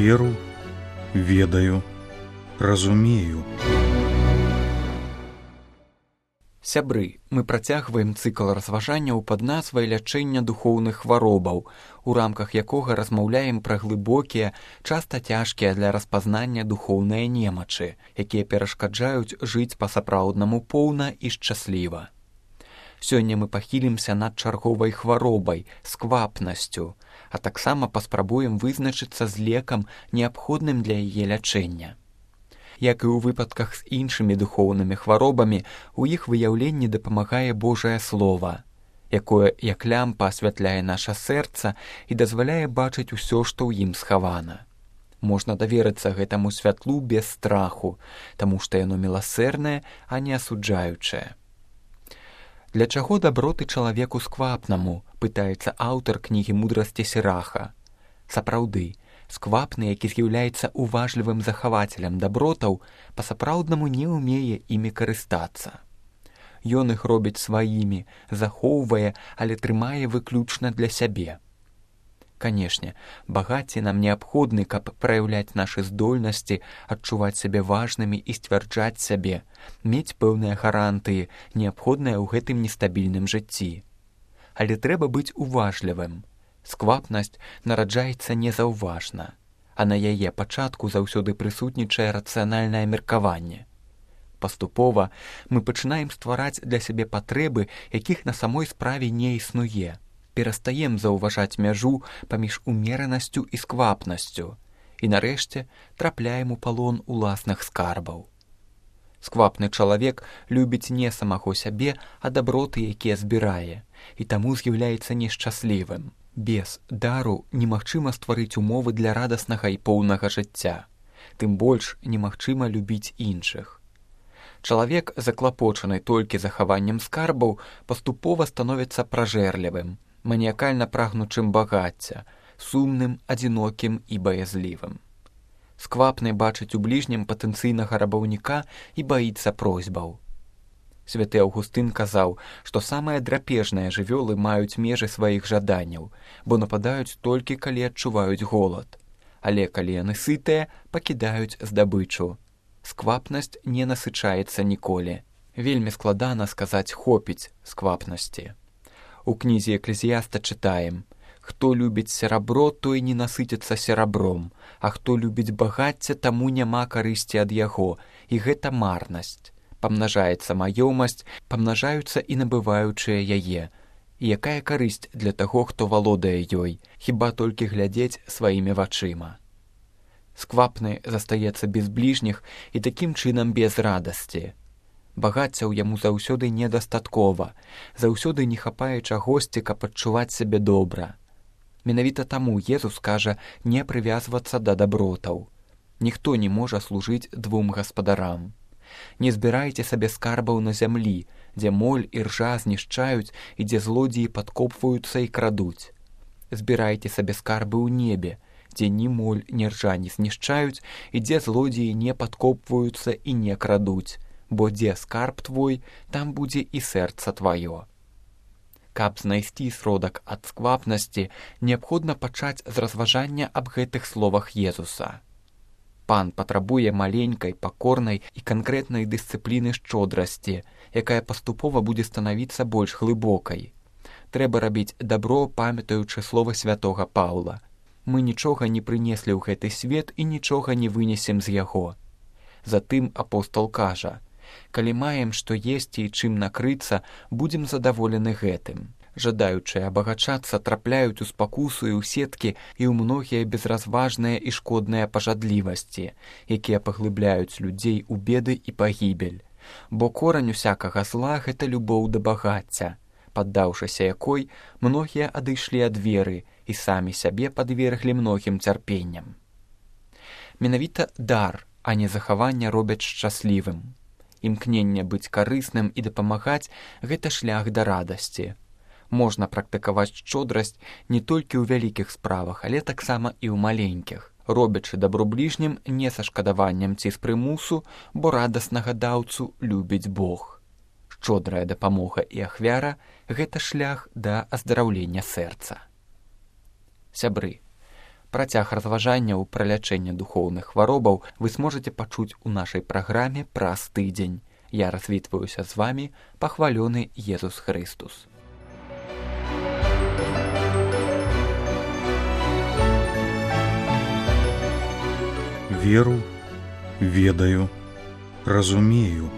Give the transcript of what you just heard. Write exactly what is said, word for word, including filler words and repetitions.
веру, ведаю, разумею. Сябры, мы працягваем цыкл разважанняў пад назвай лячэння духоўных хваробаў, у рамках якога размаўляем пра глыбокія, часта цяжкія для распазнання духоўныя немачы, якія перашкаджаюць жыць па-сапраўднаму поўна і шчасліва. Сёння мы пахілімся над чарговай хваробай, сквапнасцю, а таксама паспрабуем вызначыцца з лекам, неабходным для яе лячэння. Як і ў выпадках з іншымі духоўнымі хваробамі, у іх выяўленні дапамагае Божае Слова, якое, як лямпа, асвятляе наша сэрца і дазваляе бачыць усё, што ў ім схавана. Можна даверыцца гэтаму святлу без страху, таму што яно міласэрнае, а не асуджаючае. Для чаго даброты чалавеку сквапнаму, пытаецца аўтар кнігі мудрасці Сіраха. Сапраўды, сквапны, які з'яўляецца уважлівым захавацелем дабротаў, па-сапраўднаму не ўмее імі карыстацца. Ён іх робіць сваімі, захоўвае, але трымае выключна для сябе. Канешне, багацці нам неабходны, каб праяўляць нашы здольнасці, адчуваць сябе важнымі і сцвярджаць сябе, мець пэўныя гарантыі, неабходныя ў гэтым нестабільным жыцці. Але трэба быць уважлівым. Сквапнасць нараджаецца незаўважна, а на яе пачатку заўсёды прысутнічае рацыянальнае меркаванне. Паступова мы пачынаем ствараць для сябе патрэбы, якіх на самой справе не існуе. Перастаем заўважаць мяжу паміж умеранасцю і сквапнасцю і, нарэшце, трапляем у палон уласных скарбаў. Сквапны чалавек любіць не самого сябе, а даброты, якія збірае, і таму з'яўляецца нешчаслівым. Без дару немагчыма стварыць умовы для радаснага і поўнага жыцця. Тым больш немагчыма любіць іншых. Чалавек, заклапочаны толькі захаваннем скарбаў, паступова становіцца пражэрлівым, маніякальна прагнучым багацця, сумным, адзінокім і баязлівым. Сквапны бачыць у бліжнім патэнцыйнага рабаўніка і баіцца просьбаў. Святы Аўгустын казаў, што самыя драпежныя жывёлы маюць межы сваіх жаданняў, бо нападаюць толькі, калі адчуваюць голад. Але калі яны сытыя, пакідаюць здабычу. Сквапнасць не насычаецца ніколі. Вельмі складана сказаць «хопіць» сквапнасці. У кнізе Эклезіяста чытаем: «Хто любіць серабро, той не насыціцца серабром, а хто любіць багацце, таму няма карысці ад яго, і гэта марнасць. Памнажаецца маёмасць, памнажаюцца і набываючыя яе. І якая карысць для таго, хто валодае ёй, хіба толькі глядзець сваімі вачыма». Сквапны застаецца без бліжніх і такім чынам без радасці. Багаццяў яму заўсёды недастаткова, заўсёды не хапае чагосьці, каб адчуваць сябе добра. Менавіта таму Езус кажа не прывязвацца да дабротаў. Ніхто не можа служыць двум гаспадарам. Не збірайце сабе скарбаў на зямлі, дзе моль і ржа знішчаюць і дзе злодзеі падкопваюцца і крадуць. Збірайце сабе скарбы ў небе, дзе ні моль, ні ржа не знішчаюць і дзе злодзеі не падкопваюцца і не крадуць, бо дзе скарб твой, там будзе і сэрца тваё. Каб знайсці сродак ад сквапнасці, неабходна пачаць з разважання аб гэтых словах Езуса. Пан патрабуе маленькай, пакорнай і канкрэтнай дысцыпліны шчодрасці, якая паступова будзе станавіцца больш глыбокай. Трэба рабіць дабро, памятаючы слова святога Паўла. Мы нічога не прынеслі ў гэты свет і нічога не вынесем з яго. Затым апостол кажа: «Калі маем што есці і чым накрыцца, будзем задаволены гэтым». Жадаючыя абагачацца трапляюць у спакусу і ў сеткі і ў многія безразважныя і шкодныя пажадлівасці, якія паглыбляюць людзей у беды і пагібель. Бо корань усякага зла – гэта любоў да багацця, паддаўшыся якой многія адышлі ад веры і самі сябе падверглі многім цярпенням. Менавіта дар, а не захаванне робяць шчаслівым. Імкненне быць карысным і дапамагаць – гэта шлях да радасці. Можна практыкаваць шчодрасць не толькі ў вялікіх справах, але таксама і ў маленькіх, робячы дабро бліжнім не са шкадаваннем ці з прымусу, бо радаснага даўцу любіць Бог. Шчодрая дапамога і ахвяра – гэта шлях да аздараўлення сэрца. Сябры, Працяг разважанняў пра лячэнне духоўных хваробаў вы зможаце пачуць у нашай праграме праз тыдзень. Я развітваюся з вамі, пахвалёны Езус Христус. Веру, ведаю, разумею.